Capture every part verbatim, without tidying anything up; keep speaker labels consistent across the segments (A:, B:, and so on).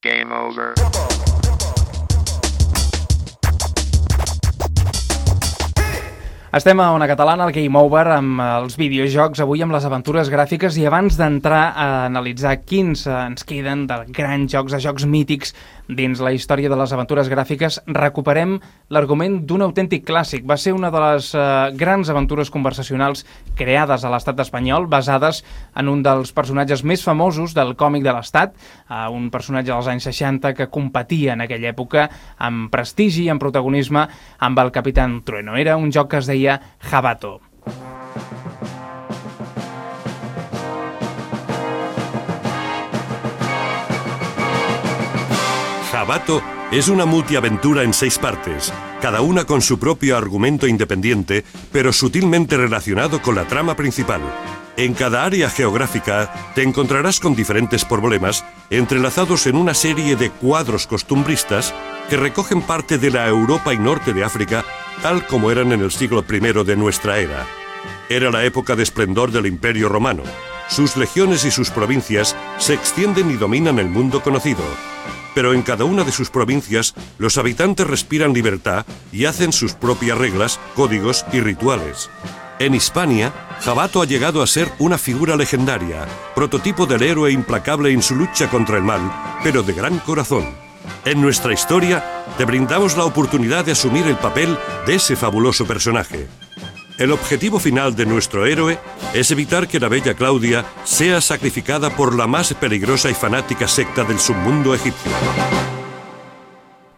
A: Game over.
B: Estem a Ona Catalana, al Game Over, amb els videojocs, avui amb les aventures gràfiques, i abans d'entrar a analitzar quins ens queden de grans jocs, de jocs mítics dins la història de les aventures gràfiques, recuperem l'argument d'un autèntic clàssic. Va ser una de les eh, grans aventures conversacionals creades a l'estat espanyol, basades en un dels personatges més famosos del còmic de l'estat, eh, un personatge dels anys seixanta que competia en aquella època amb prestigi i amb protagonisme amb el Capitán Trueno. Era un joc que es deia Jabato.
C: Jabato es una multiaventura en seis partes, cada una con su propio argumento independiente, pero sutilmente relacionado con la trama principal. En cada área geográfica te encontrarás con diferentes problemas entrelazados en una serie de cuadros costumbristas que recogen parte de la Europa y norte de África tal como eran en el siglo primero de nuestra era. Era la época de esplendor del Imperio Romano. Sus legiones y sus provincias se extienden y dominan el mundo conocido. Pero en cada una de sus provincias los habitantes respiran libertad y hacen sus propias reglas, códigos y rituales. En Hispania, Jabato ha llegado a ser una figura legendaria, prototipo del héroe implacable en su lucha contra el mal, pero de gran corazón. En nuestra historia, te brindamos la oportunidad de asumir el papel de ese fabuloso personaje. El objetivo final de nuestro héroe es evitar que la bella Claudia sea sacrificada por la más peligrosa y fanática secta del submundo egipcio.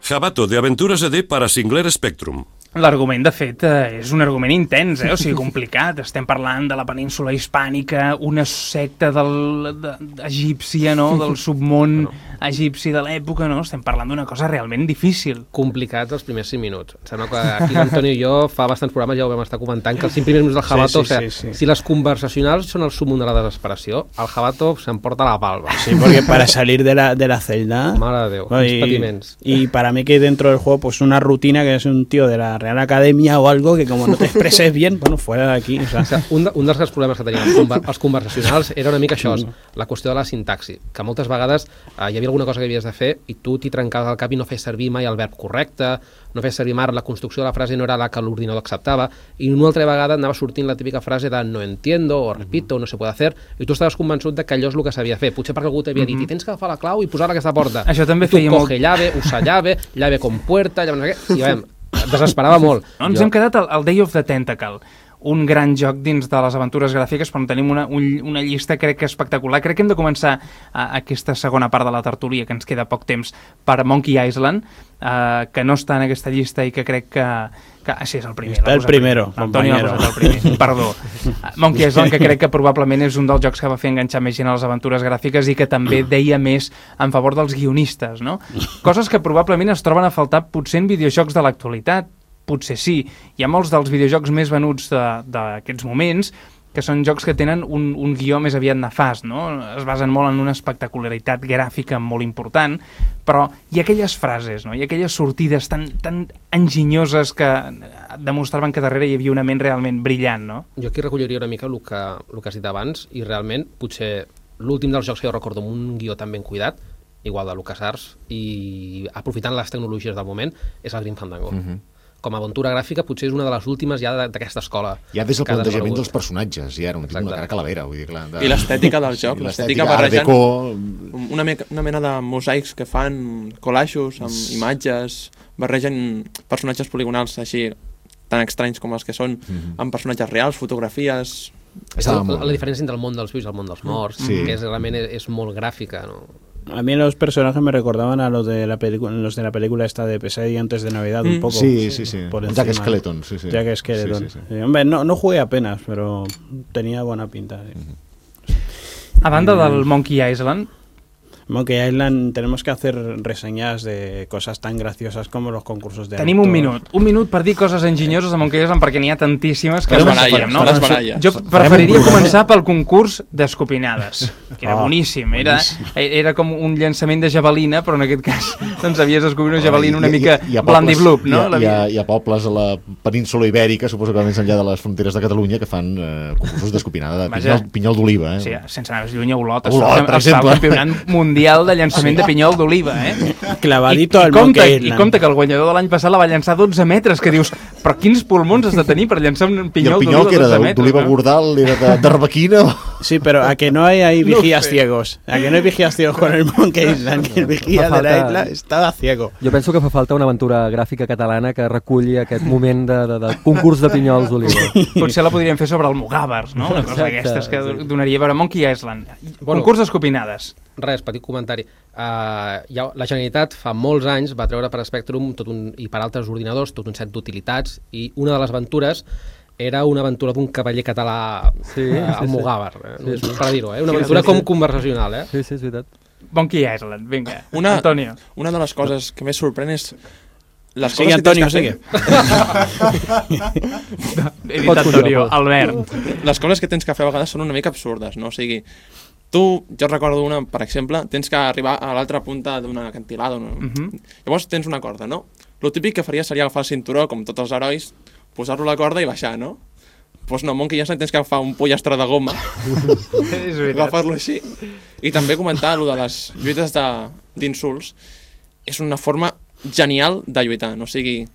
C: Jabato, de Aventuras E D para Sinclair Spectrum.
B: L'argument, de fet, és un argument intens, eh? O sigui, complicat. Estem parlant de la península hispànica, una secta del, de, egípcia, no? Del submón no. egipci de l'època, no? Estem parlant d'una cosa realment difícil.
D: Complicat els primers cinc minuts. Em sembla que aquí l'Antoni i jo fa bastants programes ja ho vam estar comentant, que els cinc primers minuts del Jabato, sí, sí, o sigui, sí, sí. Si les conversacionals són el súmmum de la desesperació, el Jabato s'emporta la palma.
E: Sí, porque para salir de la, de la celda...
D: Mare de Déu,
E: bueno,
D: uns patiments.
E: Y para mí que dentro del juego, pues una rutina que es un tío de la Real Academia o algo que como no te expreses bien, bueno, fuera de aquí. O sea.
D: O sea, un, de, un dels grans problemes que tenien els, conver els conversacionals era una mica això, la qüestió de la sintaxi, que moltes vegades eh, hi havia alguna cosa que havies de fer i tu t'hi trencaves al cap i no fes servir mai el verb correcte, no fes servir mai la construcció de la frase no era la que l'ordinador acceptava, i una altra vegada anava sortint la típica frase de no entiendo o repito o no se puede hacer, i tu estaves convençut de que allò és el que s'havia de fer, potser perquè algú t'havia dit i tens que agafar la clau i posar-la a aquesta porta.
B: Això també
D: I tu
B: feia
D: coge
B: molt...
D: llave, usa llave, llave con puerta, llave no sé què, i veiem, desesperava molt.
B: No, ens jo... hem quedat al, al Day of the Tentacle, un gran joc dins de les aventures gràfiques, però tenim una, un, una llista crec que espectacular. Crec que hem de començar a, aquesta segona part de la tertúlia, que ens queda poc temps, per Monkey Island, eh, que no està en aquesta llista i que crec que... que ah, sí, és el primer.
E: Està el primero,
B: Antoni l'ha posat el primer, perdó. Monkey Island, que crec que probablement és un dels jocs que va fer enganxar més gent a les aventures gràfiques i que també deia més en favor dels guionistes, no? Coses que probablement es troben a faltar potser en videojocs de l'actualitat. Potser sí. Hi ha molts dels videojocs més venuts d'aquests moments que són jocs que tenen un, un guió més aviat nefast, no? Es basen molt en una espectacularitat gràfica molt important, però hi ha aquelles frases, no? Hi ha aquelles sortides tan, tan enginyoses que demostraven que darrere hi havia una ment realment brillant, no?
D: Jo aquí recolliria una mica el que, el que has dit abans, i realment potser l'últim dels jocs que jo recordo amb un guió tan ben cuidat, igual de LucasArts, i aprofitant les tecnologies del moment, és el Grim Fandango. Mm-hmm. Com a aventura gràfica potser és una de les últimes ja d'aquesta escola.
F: Ja des del plantejament dels personatges, ja era un tipus de cara calavera. Vull dir, clar, de...
G: I l'estètica del joc, sí, l'estètica barrejant una, me una mena de mosaics que fan, collages amb imatges, barregen personatges poligonals així tan estranys com els que són, mm-hmm. amb personatges reals, fotografies...
D: La, la, la diferència entre el món dels vius i el món dels morts, sí. que és, realment és, és molt gràfica, no?
E: A mí los personajes me recordaban a los de la película, los de la película esta de Pesadilla antes de Navidad, mm. un poco.
F: Sí, sí, sí. Por Jack Skeleton, sí, sí.
E: Jack Skeleton. Sí, sí, sí. Sí, hombre, no, no jugué apenas, pero tenía buena pinta. Sí.
B: Mm-hmm. A banda del Monkey Island,
E: Monkey Island tenemos que hacer reseñas de cosas tan graciosas como los concursos de
B: Tenim actors. un minut, un minut per dir coses enginyoses de Monkey Island perquè n'hi ha tantíssimes que
G: les baralles, no? Les baralles.
B: Jo preferiria començar pel concurs d'escopinades, que era oh, boníssim, era, era com un llançament de javelina, però en aquest cas doncs havies d'escopir una javelina una mica blandiblup, no?
F: Hi ha, hi, ha, hi ha pobles a la península ibèrica, suposo que més enllà de les fronteres de Catalunya, que fan eh, concursos d'escopinada de pinyol, pinyol d'oliva. Eh?
B: Sí, sense anar més lluny a Olot, Olot per exemple. El campionat mundial mundial de llançament de pinyol d'oliva, eh?
E: Clavadito
B: I,
E: al
B: i compte,
E: Monkey
B: I
E: Island.
B: compte que el guanyador de l'any passat la va llançar dotze metres, que dius, però quins pulmons has de tenir per llançar un
F: I el
B: pinyol
F: pinyol que
B: d'oliva
F: era
B: dotze metres?
F: d'oliva
B: no?
F: bordal, era de, de rebequina.
E: Sí, pero a que no hay ahí
B: No
E: vigías
B: sé.
E: ciegos. A que no hay vigías ciegos con el Monkey Island. Que el vigía
A: Fa
E: de la
A: falta-
E: isla estaba ciego.
A: Jo penso que fa falta una aventura gràfica catalana que reculli aquest moment de, de, de concurs de pinyols d'oliva.
B: Potser la podríem fer sobre el Mugàvers, no? Una cosa
A: Exacte,
B: d'aquestes que
A: sí.
B: donaria a veure Monkey Island.
D: Bueno.
B: Concurs d'escopinades.
D: Res, petit comentari. Uh, ja, la Generalitat fa molts anys va treure per Spectrum tot un, i per altres ordinadors tot un set d'utilitats i una de les aventures era una aventura d'un cavaller català
A: Sí,
D: eh,
A: sí,
D: al
A: sí.
D: Mugàver, eh?
A: Sí, sí.
D: per dir-ho, eh? Una
A: Sí,
D: aventura
A: sí,
D: com
A: sí.
D: conversacional. Eh?
A: Sí, sí, és veritat.
B: Monkey Island, vinga.
G: Una,
B: Antonio.
G: una de les coses que més sorprèn és les
E: Sigue,
G: coses
E: Antonio,
G: que tens que fer.
B: He dit
A: Pots
B: Antonio,
A: continuar,
B: Albert.
G: Les coses que tens que fer a vegades són una mica absurdes, no? O sigui, tu, jo recordo una, per exemple, tens que arribar a l'altra punta d'una acantilada. No?
B: Mhm.
G: Llavors tens una corda, no? Lo típic que faria seria agafar el cinturó, com tots els herois, posar-lo a la corda i baixar, no? Doncs no, Monkey Island tens que agafar un pollastre de goma,
B: És veritat.
G: agafar-lo així. I també comentar allò de les lluites de- d'insults. És una forma genial de lluitar, no? O sigui,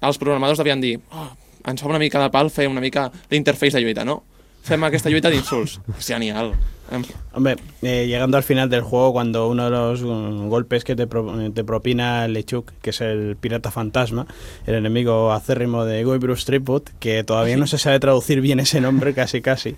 G: els programadors devien dir oh, ens fa una mica de pal fer una mica l'interface de lluita, no? Fem aquesta lluita d'insults. És genial. Em-
E: Hombre, eh, llegando al final del juego, cuando uno de los um, golpes que te, pro- te propina Lechuk, que es el pirata fantasma, el enemigo acérrimo de Guybrush Threepwood, que todavía no se sabe traducir bien ese nombre, casi casi,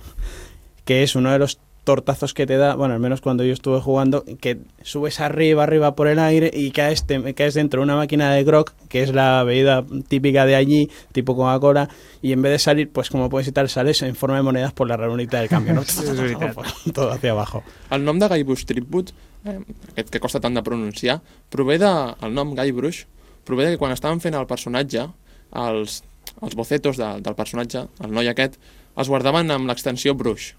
E: que es uno de los tortazos que te da, bueno, al menos cuando yo estuve jugando, que subes arriba, arriba por el aire y caes, te, caes dentro de una máquina de grog, que es la bebida típica de allí, tipo Coca-Cola, y en vez de salir, pues como puedes y tal, sales en forma de monedas por la ranurita del cambio, ¿no?
B: És veritat.
E: Todo hacia abajo.
G: El nom de Guybrush Threepwood, eh, aquest que costa tant de pronunciar, prové de, el nom Guybrush, prové de que quan estaven fent el personatge, els, els bocetos de, del personatge, el noi aquest, els guardaven amb l'extensió Brush,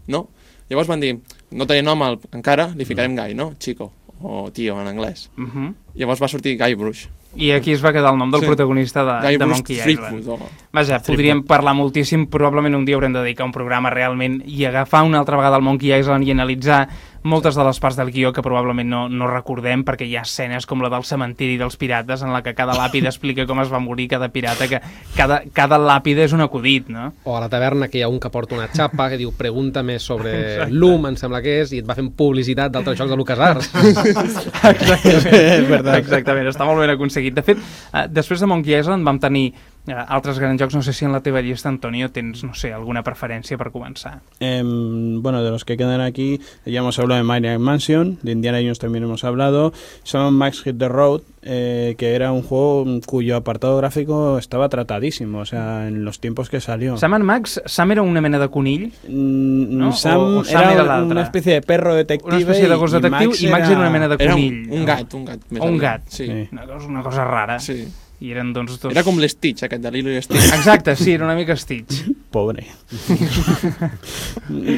G: no? Llavors van dir, no tenia nom al, encara, li ficarem Guy, no? Chico, o tio en anglès.
B: Mhm.
G: Llavors va sortir Guybrush.
B: I aquí es va quedar el nom del
G: Sí.
B: protagonista de, de
G: Guybrush
B: Monkey
G: Threepwood.
B: Island.
G: O...
B: Vaja, podríem parlar moltíssim, probablement un dia haurem de dedicar un programa realment i agafar una altra vegada el Monkey Island i analitzar moltes de les parts del guió que probablement no, no recordem, perquè hi ha escenes com la del cementiri dels pirates en la que cada làpida explica com es va morir cada pirata, que cada, cada làpida és un acudit, no?
D: O a la taverna que hi ha un que porta una xapa que diu pregúntame sobre l'U M, em sembla que és, i et va fent publicitat d'altres jocs de LucasArts.
B: Exactament, verdad. Exactament, està molt ben aconseguit. De fet, eh, després de Monkey Island vam tenir eh, altres grans jocs. No sé si en la teva llista, Antonio, tens, no sé, alguna preferència per començar.
E: Eh, bueno, de los que quedan aquí, ya hemos hablado de Maniac Mansion, de Indiana Jones también hemos hablado, Sam Max Hit the Road, eh, que era un juego cuyo apartado gráfico estaba tratadísimo, o sea, en los tiempos que salió.
B: Sam and Max, Sam era una mena de conill,
E: Mm,
B: ¿no?
E: Sam,
B: O- o Sam
E: era,
B: era
E: una
B: l'altre.
E: especie de perro detective,
B: una espècie de gos
E: y- y
B: detectiu,
E: Max
B: i Max era una mena de
G: Era
B: conill.
G: un, un
B: no?
G: gat, un gat. més
B: O un
G: aviat.
B: gat.
G: Sí.
E: Sí.
B: Una cosa, una cosa rara.
G: sí.
B: I eren doncs dos...
G: Era com l'Stitch, aquest de Lilo i Stitch.
B: Exacte, sí, era una mica Stitch.
E: Pobre.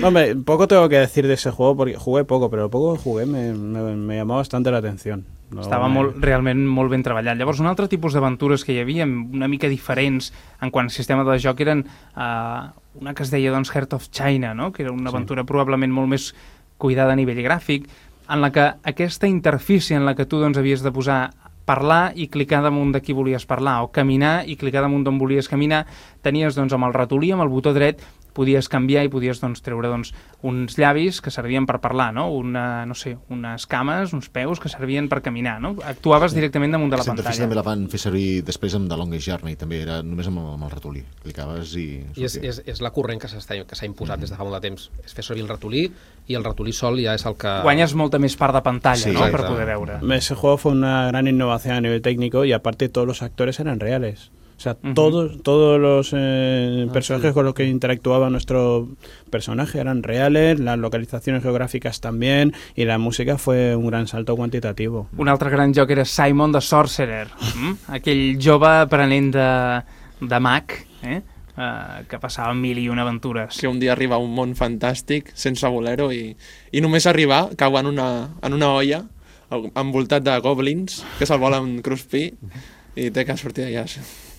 E: Hombre, poco tengo que decir de ese juego porque jugué poco, pero lo poco que jugué me, me, me llamó bastante la atención. No,
B: Estava
E: me-
B: molt, realment molt ben treballat. Llavors, un altre tipus d'aventures que hi havia, una mica diferents en quant al sistema de joc, eren uh, una que es deia doncs, Heart of China, no? Que era una aventura probablement molt més cuidada a nivell gràfic, en la que aquesta interfície en la que tu doncs, havies de posar parlar i clicar damunt de qui volies parlar, o caminar i clicar damunt d'on volies caminar, tenies doncs, amb el ratolí, amb el botó dret, podies canviar i podies doncs, treure doncs, uns llavis que servien per parlar, no? Una, no sé, unes cames, uns peus que servien per caminar, no? Actuaves directament damunt de la
F: Aquesta interfície
B: pantalla.
F: també la van fer servir després amb The Longest Journey, també era només amb, amb el ratolí. Clicaves i...
D: I és,
F: sortia.
D: és, és la corrent que s'està que s'ha imposat des de fa molt de temps. És fer servir el ratolí i el ratolí sol ja és el que...
B: Guanyes molta més part de pantalla,
F: Sí,
B: no?
F: exacte.
B: Per poder veure.
E: Ese juego fue una gran innovación a nivel técnico y aparte todos los actores eran reales. O sea,
B: Ujú.
E: todos, todos los eh,
A: Ah,
E: personajes
A: sí.
E: con los que interactuaba nuestro personaje eran reales, las localizaciones geográficas también, y la música fue un gran salto cuantitativo.
B: Un altre gran joc era Simon the Sorcerer, mm? Aquell jove aprenent de, de mag, eh? Uh, que passava mil i una aventures.
G: Que un dia arriba a un món fantàstic, sense bolero, i, i només arribar cau en una, en una olla envoltat de goblins que se'l volen cruspir i té que sortir d'allà.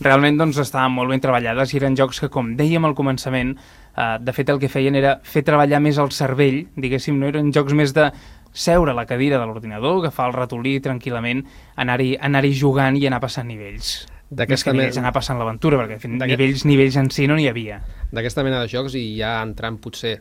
B: Realment doncs, estaven molt ben treballades i eren jocs que, com dèiem al començament, eh, de fet el que feien era fer treballar més el cervell, diguéssim, no eren jocs més de seure a la cadira de l'ordinador, agafar el ratolí tranquil·lament, anar-hi anar-hi jugant i anar passant nivells. Més que nivells, anar passant l'aventura, perquè en fi, nivells, nivells en si no n'hi havia.
D: D'aquesta mena de jocs, i ja entrant potser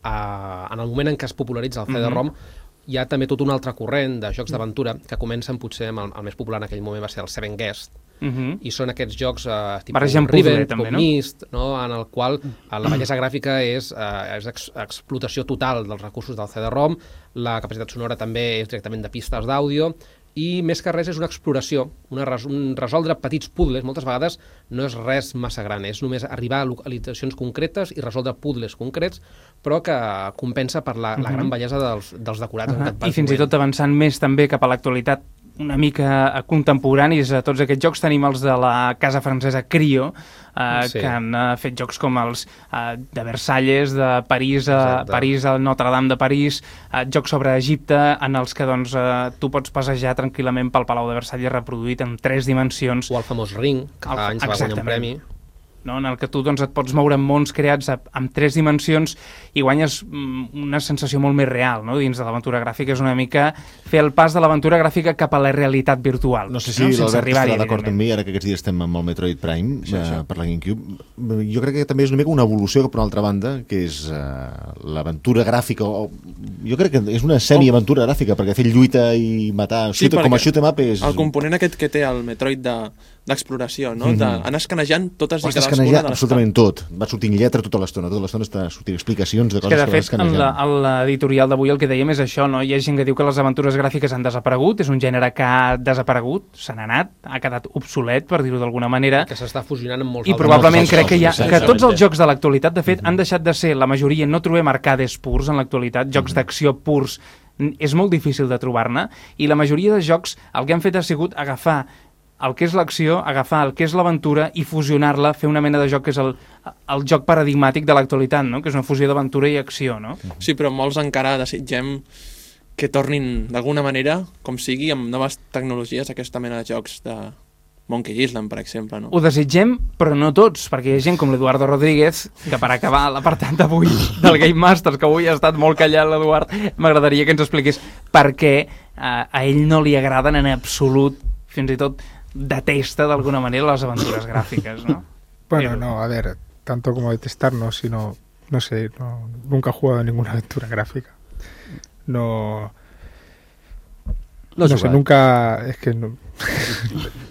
D: a, en el moment en què es popularitza el C D ROM, mm-hmm. hi ha també tot un altre corrent de jocs d'aventura que comencen potser amb el, el més popular en aquell moment va ser el Seven Guest, uh-huh. i són aquests jocs eh, tipus Riven, com no? Myst, no? En el qual la bellesa gràfica és, eh, és ex explotació total dels recursos del C D ROM, la capacitat sonora també és directament de pistes d'àudio, i més que res és una exploració, una res, un resoldre petits puzzles, moltes vegades no és res massa gran, és només arribar a localitzacions concretes i resoldre puzzles concrets, però que compensa per la, la gran bellesa dels, dels decorats. Uh-huh.
B: I fins i tot avançant més també cap a l'actualitat una mica contemporanis a tots aquests jocs, tenim els de la casa francesa Crio, eh, sí. que han uh, fet jocs com els uh, de Versalles, de París, a París, al Notre-Dame de París, uh, jocs sobre Egipte, en els que doncs, uh, tu pots passejar tranquil·lament pel Palau de Versalles reproduït en tres dimensions.
D: O el famós Ring, que fa anys va guanyar un premi.
B: No? En el que tu doncs, et pots moure en mons creats amb tres dimensions i guanyes una sensació molt més real, no? Dins de l'aventura gràfica. És una mica fer el pas de l'aventura gràfica cap a la realitat virtual.
F: No sé si no? l'Albert estarà d'acord amb mi, ara que aquests dies estem amb el Metroid Prime, sí, eh, per la GameCube. Jo crec que també és una mica una evolució per una altra banda, que és eh, l'aventura gràfica, o, jo crec que és una semi-aventura gràfica, perquè fer lluita i matar, sí, shoot, com a shoot 'em up és...
G: El component aquest que té el Metroid de d'exploració, no? Mm-hmm. D'anar escanejant totes i cadascuna
F: de les absolutament tot. Va sortint lletra tota l'estona, tota l'estona està sortint explicacions de coses que,
B: que
F: vas
B: escanejant. De fet, en l'editorial d'avui el que dèiem és això, no? Hi ha gent que diu que les aventures gràfiques han desaparegut, és un gènere que ha desaparegut, se n'ha anat, ha quedat obsolet, per dir-ho d'alguna manera.
D: Que s'està fusionant amb molts
B: I probablement crec que, hi ha, que tots els jocs de l'actualitat, de fet, mm-hmm. han deixat de ser, la majoria, no trobem arcades purs en l'actualitat, jocs mm-hmm. d'acció purs, és molt difícil de trobar-ne, i la majoria de jocs el que han fet ha sigut agafar el que és l'acció, agafar el que és l'aventura i fusionar-la, fer una mena de joc que és el, el joc paradigmàtic de l'actualitat, no? Que és una fusió d'aventura i acció, no?
G: Sí, però molts encara desitgem que tornin d'alguna manera, com sigui, amb noves tecnologies, aquesta mena de jocs de Monkey Island, per exemple, no?
B: Ho desitgem, però no tots, perquè hi ha gent com l'Eduardo Rodríguez, que per acabar l'apartat d'avui del Game Masters, que avui ha estat molt callat l'Eduard, m'agradaria que ens expliqués per què eh, a ell no li agraden en absolut, fins i tot detesta d'alguna manera las aventuras gráficas, ¿no?
H: Bueno, Pero... no, a ver, tanto como detestar, no, sino, no sé, no, nunca he jugado a ninguna aventura gráfica. No... No, no sé, nunca... Es que no...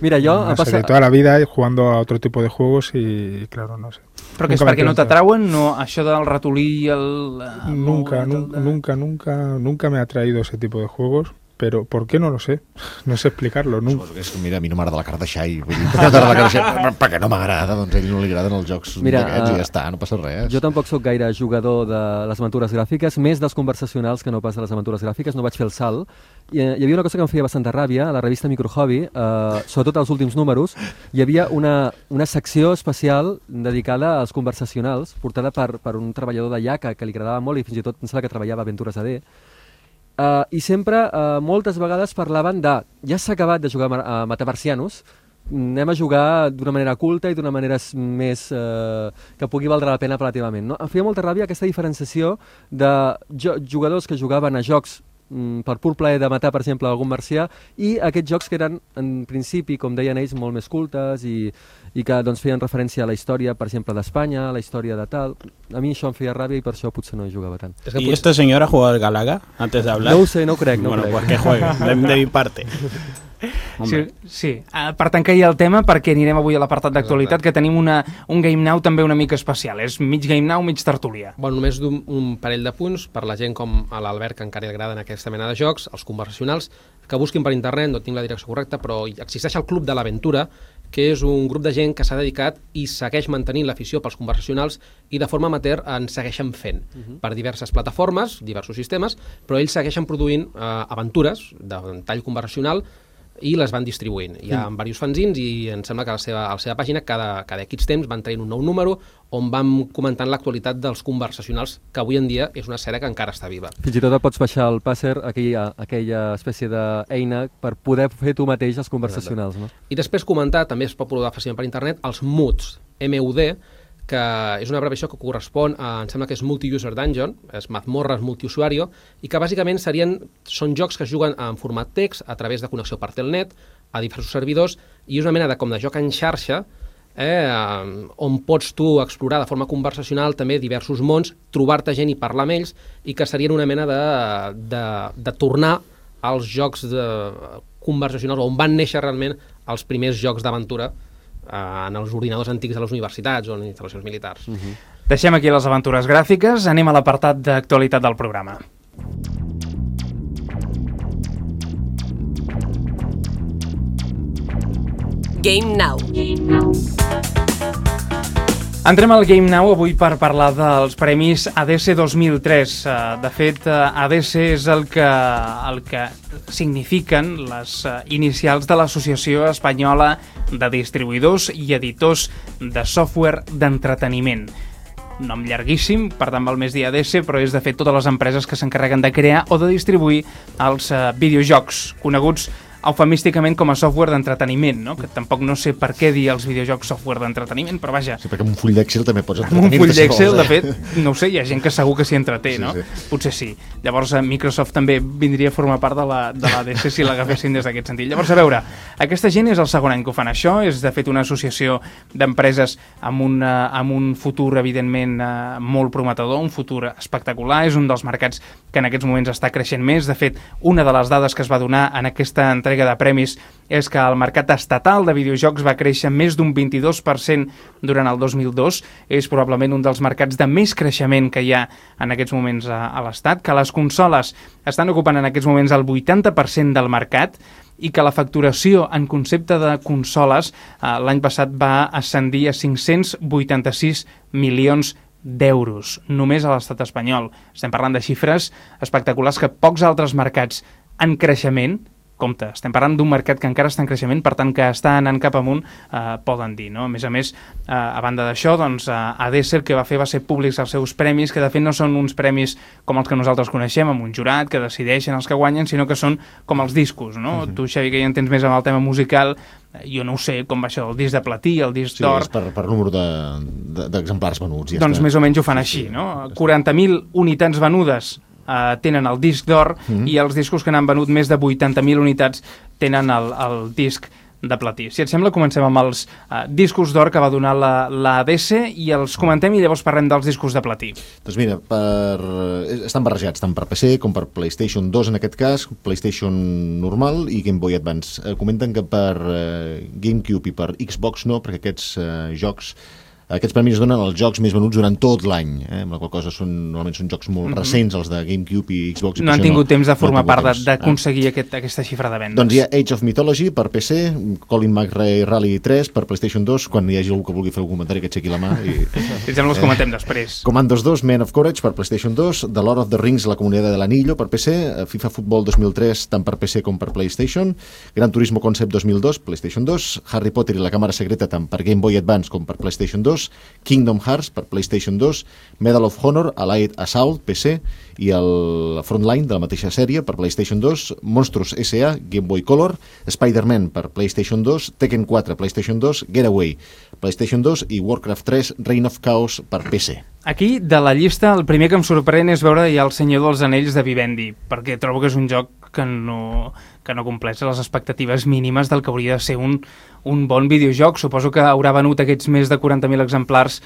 A: Mira, yo...
H: No sé, de toda la vida jugando a otro tipo de juegos y, claro, no sé.
B: Però que és perquè no t'atrauen? No, això del ratolí i el...
H: Nunca, el, el, el, nunca, nunca, nunca me ha atraído ese tipo de juegos. Pero, ¿por qué? No lo sé. No sé explicar-lo. No.
F: És que, mira, a mi no m'agrada la Kardashian. Vull dir, la Kardashian perquè no m'agrada, doncs a ell no li agraden els jocs d'aquests uh, i ja està, no passa res.
A: Jo tampoc sóc gaire jugador de les aventures gràfiques, més dels conversacionals que no pas de les aventures gràfiques, no vaig fer el salt. I, hi havia una cosa que em feia bastanta ràbia, a la revista Microhobby, uh, sobretot als últims números, hi havia una, una secció especial dedicada als conversacionals, portada per, per un treballador d'allà que, que li agradava molt i fins i tot pensava que treballava a Aventures A D. Uh, I sempre, uh, moltes vegades parlaven de ja s'ha acabat de jugar a Metaversianos, anem a jugar d'una manera culta i d'una manera més uh, que pugui valdre la pena relativament. No? Em feia molta ràbia aquesta diferenciació de jo jugadors que jugaven a jocs mm, per pur plaer de matar, per exemple, algun marcià, i aquests jocs que eren, en principi, com deien ells, molt més cultes i, i que doncs, feien referència a la història, per exemple, d'Espanya, a la història de tal. A mi això em feia ràbia i per això potser no hi jugava tant.
E: ¿Y potser... este señor ha jugado al Galaga antes de hablar?
A: No ho sé, no ho crec. No
E: bueno,
A: crec.
E: pues que juegue, de, de mi parte.
B: Sí, sí. Uh, per tancar ja el tema, perquè anirem avui a l'apartat d'actualitat, que tenim una, un Game Now també una mica especial. És mig Game Now, mig tertúlia.
D: Bueno, només un, un parell de punts per la gent com a l'Albert, que encara li agraden aquesta mena de jocs, els conversacionals, que busquin per internet, no tinc la direcció correcta, però existeix el Club de l'Aventura, que és un grup de gent que s'ha dedicat i segueix mantenint l'afició pels conversacionals i de forma amateur en segueixen fent uh -huh. per diverses plataformes, diversos sistemes, però ells segueixen produint eh, aventures de tall conversacional i les van distribuint. Hi ha mm. diversos fanzins i em sembla que a la seva, a la seva pàgina cada, cada X temps van traient un nou número on van comentant l'actualitat dels conversacionals, que avui en dia és una sèrie que encara està viva.
A: Fins i tot et pots baixar al Passer, aquella, aquella espècie d'eina per poder fer tu mateix els conversacionals. No?
D: I després comentar, també es pot provar fàcilment per internet, els M U Ds, M U D, que és una abreviació que correspon a, em sembla que és Multi-User Dungeon, és mazmorres multiusuario, i que bàsicament serien, són jocs que es juguen en format text a través de connexió per telnet, a diversos servidors, i és una mena de, com de joc en xarxa, Eh, on pots tu explorar de forma conversacional també diversos mons, trobar-te gent i parlar amb ells, i que serien una mena de, de, de tornar als jocs de, conversacionals on van néixer realment els primers jocs d'aventura eh, en els ordinadors antics de les universitats o en instal·lacions militars.
B: Uh-huh. Deixem aquí les aventures gràfiques, anem a l'apartat d'actualitat del programa.
I: Game Now.
B: Entrem al Game Now avui per parlar dels premis A D C dos mil tres. De fet, A D C és el que, el que signifiquen les inicials de l'Associació Espanyola de Distribuïdors i Editors de Software d'Entreteniment. Nom llarguíssim, per tant val més dir A D C, però és de fet totes les empreses que s'encarreguen de crear o de distribuir els uh, videojocs, coneguts eufemísticament com a software d'entreteniment, no? Que tampoc no sé per què dir els videojocs software d'entreteniment, però vaja...
F: Sí, perquè amb un full d'Excel també pots
B: entretenir. Amb un full d'Excel,
F: de
B: fet, no ho sé, hi ha gent que segur que s'hi entreté, sí, no? Sí. Potser sí. Llavors Microsoft també vindria a formar part de la, de l'A D C si l'agafessin des d'aquest sentit. Llavors, a veure, aquesta gent és el segon any que ho fan això, és de fet una associació d'empreses amb, una, amb un futur, evidentment, eh, molt prometedor, un futur espectacular, és un dels mercats que en aquests moments està creixent més. De fet, una de les dades que es va donar en aquesta entrega de premis és que el mercat estatal de videojocs va créixer més d'un vint-i-dos per cent durant el dos mil dos. És probablement un dels mercats de més creixement que hi ha en aquests moments a, a l'Estat, que les consoles estan ocupant en aquests moments el vuitanta per cent del mercat i que la facturació en concepte de consoles eh, l'any passat va ascendir a cinc-cents vuitanta-sis milions d'euros, només a l'estat espanyol. Estem parlant de xifres espectaculars que pocs altres mercats en creixement, compte, estem parlant d'un mercat que encara està en creixement, per tant que està anant cap amunt, eh, poden dir, no? A més a més, eh, a banda d'això, doncs, A D C el que va fer va ser públics els seus premis, que de fet no són uns premis com els que nosaltres coneixem, amb un jurat que decideixen els que guanyen, sinó que són com els discos, no? Uh-huh. Tu, Xavi, que ja entens més amb el tema musical, jo no ho sé, com va això, el disc de platí, el disc
F: sí,
B: d'or...
F: Sí, és per, per número d'exemplars de, de, venuts. Ja
B: doncs està. Més o menys ho fan així, sí, no? quaranta mil unitats venudes Uh, tenen el disc d'or mm-hmm. i els discos que n'han venut més de vuitanta mil unitats tenen el, el disc de platí. Si et sembla, comencem amb els uh, discos d'or que va donar la, la A D C i els comentem i llavors parlem dels discos de platí.
F: Doncs mira, per... estan barrejats tant per P C com per PlayStation dos en aquest cas, PlayStation normal i Game Boy Advance. Uh, comenten que per uh, GameCube i per Xbox no, perquè aquests uh, jocs Aquests premis es donen als jocs més venuts durant tot l'any, eh? Amb la qual cosa són, normalment són jocs molt mm-hmm. recents, els de GameCube i Xbox. I
B: no han tingut no, temps de formar no part d'aconseguir ah. aquest, aquesta xifra de vendes.
F: Doncs hi ha Age of Mythology per P C, Colin McRae Rally tres per PlayStation dos, quan hi hagi algú que vulgui fer un comentari que aixequi la mà. I,
B: si sembla els comentem eh, després.
F: Commandos dos, Men of Courage per PlayStation dos, The Lord of the Rings, La Comunitat de l'Anillo per P C, FIFA Football dos mil tres tant per P C com per PlayStation, Gran Turismo Concept dos mil dos, PlayStation dos, Harry Potter i la Càmera Secreta tant per Game Boy Advance com per PlayStation dos, Kingdom Hearts per PlayStation dos, Medal of Honor, Allied Assault, P C, i el Frontline de la mateixa sèrie per PlayStation dos, Monstros S A, Game Boy Color, Spider-Man per PlayStation dos, Tekken quatre, PlayStation dos, Getaway, PlayStation dos i Warcraft tres, Reign of Chaos per P C.
B: Aquí, de la llista, el primer que em sorprèn és veure ja El Senyor dels Anells de Vivendi, perquè trobo que és un joc que no, que no compleix les expectatives mínimes del que hauria de ser un, un bon videojoc. Suposo que haurà venut aquests més de quaranta mil exemplars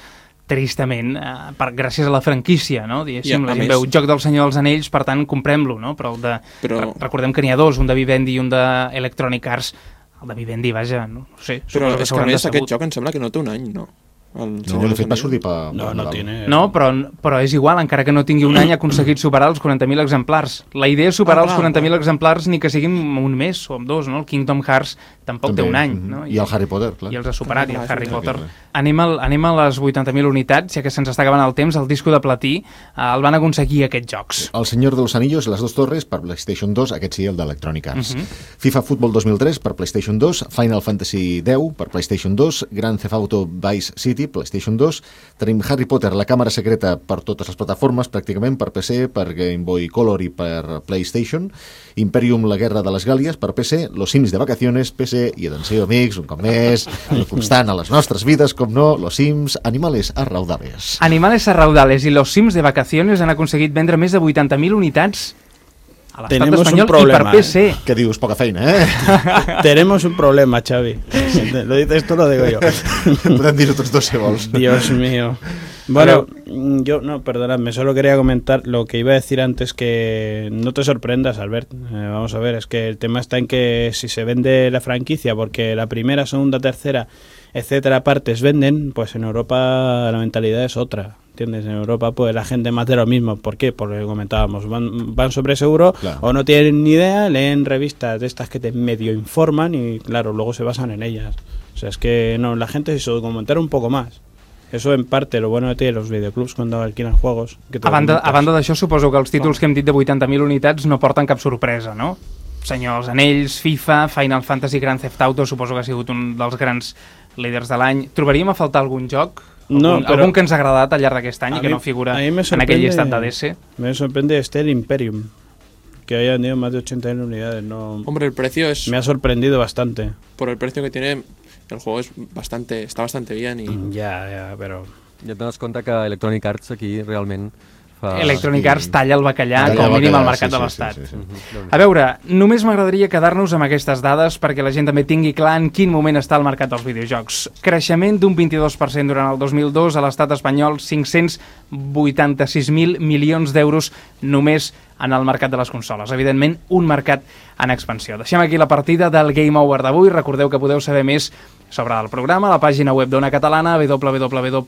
B: tristament, eh, per, gràcies a la franquícia, no? Diguéssim, la gent veu Joc del Senyor dels Anells, per tant, comprem-lo, no? Però, el de, Però... recordem que n'hi ha dos, un de Vivendi i un d'Electronic Arts. El de Vivendi, vaja, no sé.
G: Però és que a més aquest joc em sembla que no té un any, no?
F: El no, de fet va sortir per...
E: No, no, tiene...
B: no però, però és igual, encara que no tingui un any ha aconseguit superar els quaranta mil exemplars. La idea és superar ah, els quaranta mil exemplars ni que siguin un mes o amb dos, no? El Kingdom Hearts tampoc També. té un any, no?
F: I, I el Harry Potter, clar.
B: I els ha superat, i el Harry Potter. Anem, al, anem a les vuitanta mil unitats, ja que se'ns està acabant el temps, el disco de platí, eh, el van aconseguir aquests jocs.
F: El Senyor dels Anillos, Les dos torres, per PlayStation dos, aquest sí, el d'Electronic Arts. Uh-huh. FIFA Football dos mil tres, per PlayStation dos, Final Fantasy deu, per PlayStation dos, Grand Theft Auto Vice City, Galaxy, PlayStation dos, tenim Harry Potter, la càmera secreta per totes les plataformes, pràcticament, per P C, per Game Boy Color i per PlayStation, Imperium, la guerra de les Gàlies, per P C, Los Sims de vacaciones, P C, i atenció, amics, un cop més, constant a les nostres vides, com no, Los Sims, Animales a Raudales.
B: Animales a Raudales i Los Sims de vacaciones han aconseguit vendre més de vuitanta mil unitats a l'estat espanyol i per P C.
F: Eh? Què dius? Poca feina, eh?
E: Tenemos un problema, Xavi. Lo dices tú, lo digo yo.
F: Podem dir-ho tots dos, si vols.
E: Dios mío. Bueno, yo, no, perdonadme, solo quería comentar lo que iba a decir antes, que no te sorprendas, Albert. Eh, vamos a ver, es que el tema está en que si se vende la franquicia, porque la primera, segunda, tercera, etcétera, partes venden, pues en Europa la mentalidad es otra. ¿Entiendes? En Europa pues la gente más de lo mismo. ¿Por qué? Porque comentábamos, van, van sobre seguro, claro, o no tienen ni idea, leen revistas de estas que te medio informan y claro, luego se basan en ellas. O sea, es que no, la gente se documentar un poco más. Eso en parte lo bueno que tienen los videoclubs cuando alquilan juegos. Que
B: a banda, a banda d'això, suposo que els títols que hem dit de vuitanta mil unitats no porten cap sorpresa, no? Senyor els Anells, FIFA, Final Fantasy, Grand Theft Auto, suposo que ha sigut un dels grans líders de l'any. Trobaríem a faltar algun joc?
E: No,
B: algun, algun que ens ha agradat al llarg d'aquest any i que no figura en aquell llistat de D S?
E: Me sorprende este el Imperium, que haya vendido más de ochenta mil unidades. No,
G: hombre, el precio es...
E: Me ha sorprendido bastante.
G: Por el precio que tiene, el juego es bastante, está bastante bien. Y...
E: Ya, ya, pero...
A: Ja et dones compte que Electronic Arts aquí realment... Fa...
B: Electronic Arts talla el bacallà, com a mínim al mercat de l'Estat.
F: Sí, sí, sí, sí.
B: A veure, només m'agradaria quedar-nos amb aquestes dades perquè la gent també tingui clar en quin moment està el mercat dels videojocs. Creixement d'un vint-i-dos per cent durant el dos mil dos, a l'estat espanyol cinc-cents vuitanta-sis mil milions d'euros només en el mercat de les consoles. Evidentment, un mercat en expansió. Deixem aquí la partida del Game Over d'avui. Recordeu que podeu saber més sobre el programa a la pàgina web d'Ona Catalana, w w w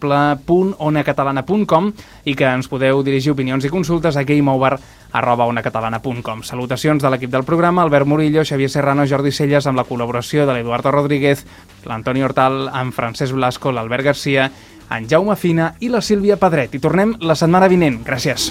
B: punt ona catalana punt com, i que ens podeu dirigir opinions i consultes a gameover arroba ona catalana punt com. Salutacions de l'equip del programa, Albert Murillo, Xavier Serrano, Jordi Celles, amb la col·laboració de l'Eduardo Rodríguez, l'Antoni Hortal, en Francesc Blasco, l'Albert Garcia, en Jaume Fina i la Sílvia Pedret. I tornem la setmana vinent. Gràcies.